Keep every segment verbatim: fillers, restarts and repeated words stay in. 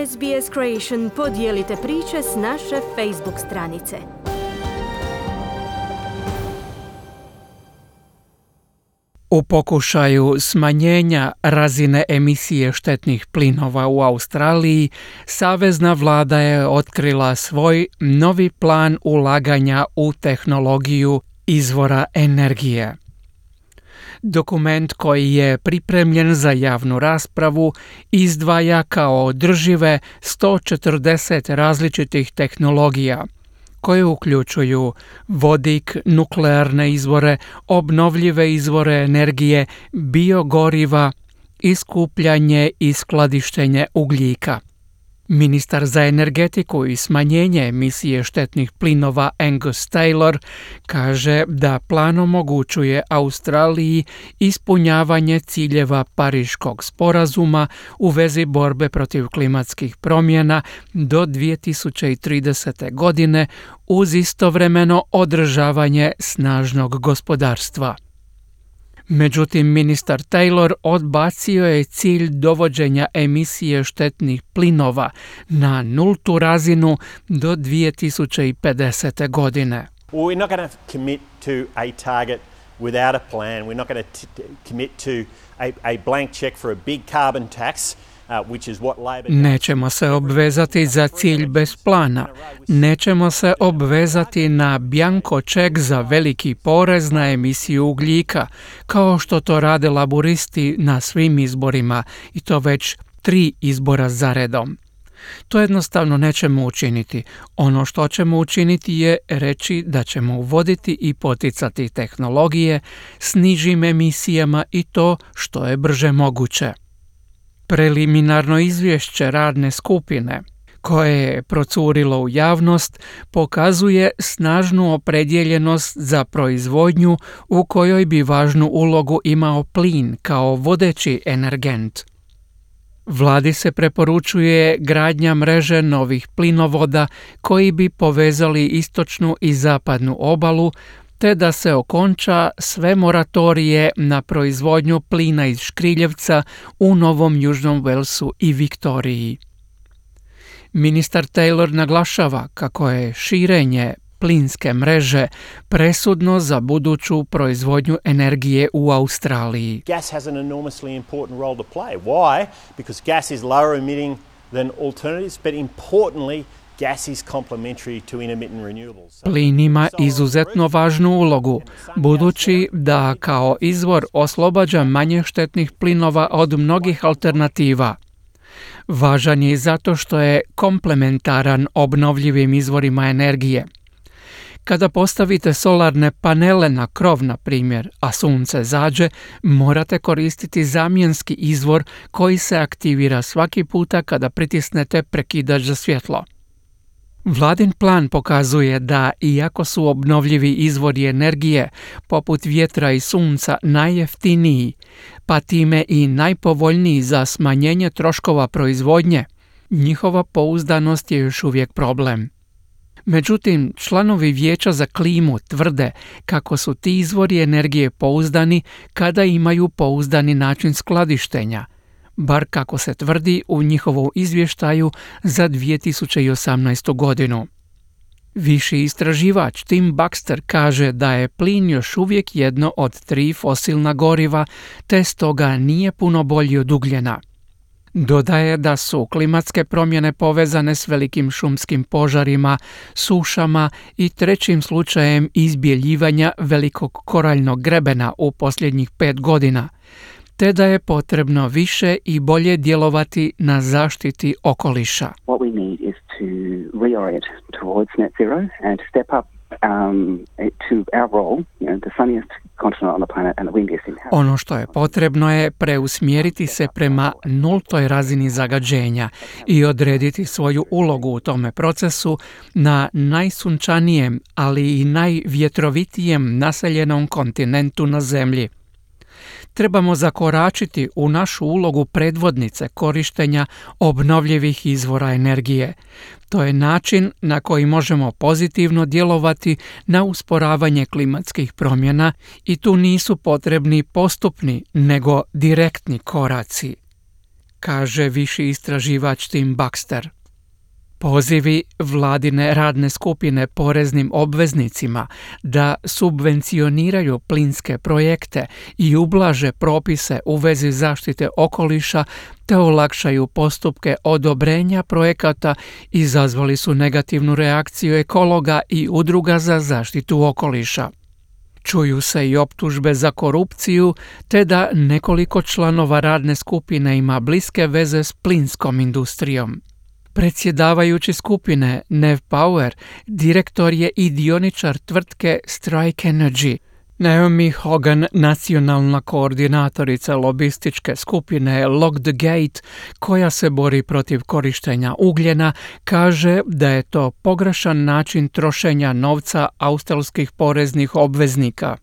S B S Creation podijelite priče s naše Facebook stranice. U pokušaju smanjenja razine emisije štetnih plinova u Australiji, savezna vlada je otkrila svoj novi plan ulaganja u tehnologiju izvora energije. Dokument koji je pripremljen za javnu raspravu izdvaja kao održive sto četrdeset različitih tehnologija, koje uključuju vodik, nuklearne izvore, obnovljive izvore energije, biogoriva i skupljanje i skladištenje ugljika. Ministar za energetiku i smanjenje emisije štetnih plinova Angus Taylor kaže da plan omogućuje Australiji ispunjavanje ciljeva Pariškog sporazuma u vezi borbe protiv klimatskih promjena do dvije tisuće tridesete. godine uz istovremeno održavanje snažnog gospodarstva. Međutim, ministar Taylor odbacio je cilj dovođenja emisije štetnih plinova na nultu razinu do dvije tisuće pedesete. godine. Well, we're not going to commit to a target without a plan. We're not going to t- commit to a, a blank check for a big carbon tax. Nećemo se obvezati za cilj bez plana. Nećemo se obvezati na bjanko ček za veliki porez na emisiju ugljika, kao što to rade laburisti na svim izborima, i to već tri izbora za redom. To jednostavno nećemo učiniti. Ono što ćemo učiniti je reći da ćemo uvoditi i poticati tehnologije s nižim emisijama i to što je brže moguće. Preliminarno izvješće radne skupine, koje je procurilo u javnost, pokazuje snažnu opredjeljenost za proizvodnju u kojoj bi važnu ulogu imao plin kao vodeći energent. Vladi se preporučuje gradnja mreže novih plinovoda koji bi povezali istočnu i zapadnu obalu, te da se okonča sve moratorije na proizvodnju plina iz škriljevca u Novom Južnom Walesu i Viktoriji. Ministar Taylor naglašava kako je širenje plinske mreže presudno za buduću proizvodnju energije u Australiji. Gas has an enormously important role to play. Why? Because gas is lower emitting than alternatives, but importantly, gas is complementary to intermittent renewables. Plin ima izuzetno važnu ulogu, budući da kao izvor oslobađa manje štetnih plinova od mnogih alternativa. Važan je zato što je komplementaran obnovljivim izvorima energije. Kada postavite solarne panele na krov, na primjer, a sunce zađe, morate koristiti zamjenski izvor koji se aktivira svaki puta kada pritisnete prekidač za svjetlo. Vladin plan pokazuje da, iako su obnovljivi izvori energije, poput vjetra i sunca, najjeftiniji, pa time i najpovoljniji za smanjenje troškova proizvodnje, njihova pouzdanost je još uvijek problem. Međutim, članovi Vijeća za klimu tvrde kako su ti izvori energije pouzdani kada imaju pouzdani način skladištenja, bar kako se tvrdi u njihovom izvještaju za dvije tisuće osamnaestu. godinu. Viši istraživač Tim Baxter kaže da je plin još uvijek jedno od tri fosilna goriva, te stoga nije puno bolji od ugljena. Dodaje da su klimatske promjene povezane s velikim šumskim požarima, sušama i trećim slučajem izbjeljivanja velikog koraljnog grebena u posljednjih pet godina, te da je potrebno više i bolje djelovati na zaštiti okoliša. What we need is to reorient towards net zero and step up um, to our role, you know, the sunniest continent on the planet and the windiest in the Ono što je potrebno je preusmjeriti se prema nultoj razini zagađenja i odrediti svoju ulogu u tome procesu na najsunčanijem, ali i najvjetrovitijem naseljenom kontinentu na Zemlji. Trebamo zakoračiti u našu ulogu predvodnice korištenja obnovljivih izvora energije. To je način na koji možemo pozitivno djelovati na usporavanje klimatskih promjena i tu nisu potrebni postupni, nego direktni koraci, kaže viši istraživač Tim Baxter. Pozivi vladine radne skupine poreznim obveznicima da subvencioniraju plinske projekte i ublaže propise u vezi zaštite okoliša te olakšaju postupke odobrenja projekata izazvali su negativnu reakciju ekologa i udruga za zaštitu okoliša. Čuju se i optužbe za korupciju te da nekoliko članova radne skupine ima bliske veze s plinskom industrijom. Predsjedavajući skupine Nev Power, direktor je i dioničar tvrtke Strike Energy. Naomi Hogan, nacionalna koordinatorica lobističke skupine Lock the Gate, koja se bori protiv korištenja ugljena, kaže da je to pogrešan način trošenja novca australskih poreznih obveznika.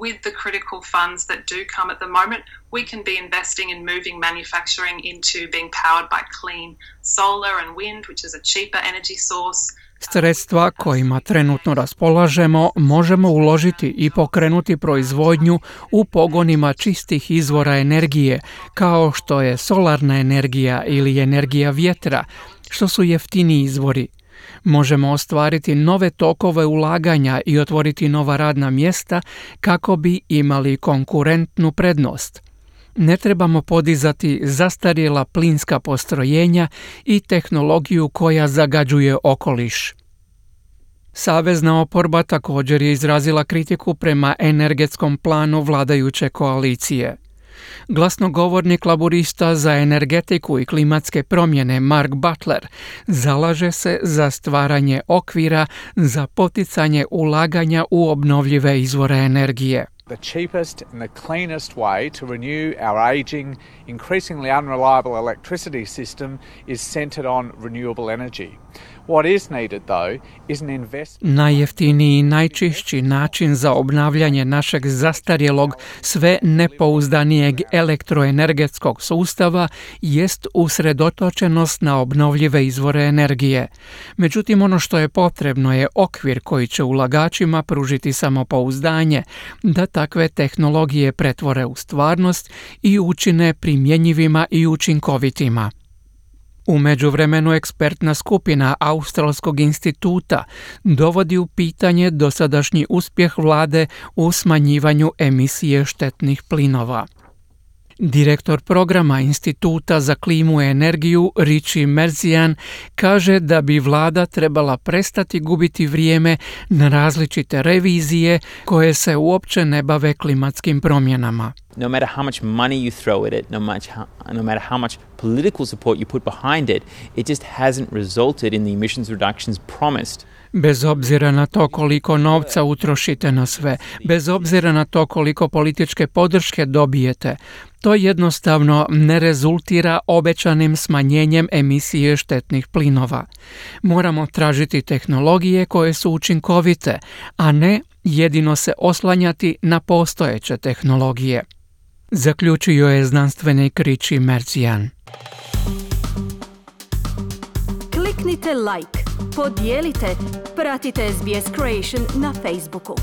With the critical funds that do come at the moment, we can be investing in moving manufacturing into being powered by clean solar and wind, which is a cheaper energy source. Sredstva kojima trenutno raspolažemo možemo uložiti i pokrenuti proizvodnju u pogonima čistih izvora energije, kao što je solarna energija ili energija vjetra, što su jeftiniji izvori. Možemo ostvariti nove tokove ulaganja i otvoriti nova radna mjesta kako bi imali konkurentnu prednost. Ne trebamo podizati zastarjela plinska postrojenja i tehnologiju koja zagađuje okoliš. Savezna oporba također je izrazila kritiku prema energetskom planu vladajuće koalicije. Glasnogovornik laburista za energetiku i klimatske promjene Mark Butler zalaže se za stvaranje okvira za poticanje ulaganja u obnovljive izvore energije. The cheapest and the cleanest way to renew our aging, increasingly unreliable electricity system is centered on renewable energy. What is needed, though, is an investment... Najjeftiniji i najčišći način za obnavljanje našeg zastarjelog, sve nepouzdanijeg elektroenergetskog sustava jest usredotočenost na obnovljive izvore energije. Međutim, ono što je potrebno je okvir koji će ulagačima pružiti samopouzdanje da takve tehnologije pretvore u stvarnost i učine primjenjivima i učinkovitima. U međuvremenu ekspertna skupina Australskog instituta dovodi u pitanje dosadašnji uspjeh vlade u smanjivanju emisije štetnih plinova. Direktor programa Instituta za klimu i energiju Richie Merzian kaže da bi vlada trebala prestati gubiti vrijeme na različite revizije koje se uopće ne bave klimatskim promjenama. No matter how much money you throw at it, no, much how, no matter how much political support you put behind it, it just hasn't resulted in the emissions reductions promised. Bez obzira na to koliko novca utrošite na sve, bez obzira na to koliko političke podrške dobijete, to jednostavno ne rezultira obećanim smanjenjem emisije štetnih plinova. Moramo tražiti tehnologije koje su učinkovite, a ne jedino se oslanjati na postojeće tehnologije. Zaključio je znanstvenik Richie Merzian. Kliknite like, podijelite, pratite S B S Creation na Facebooku.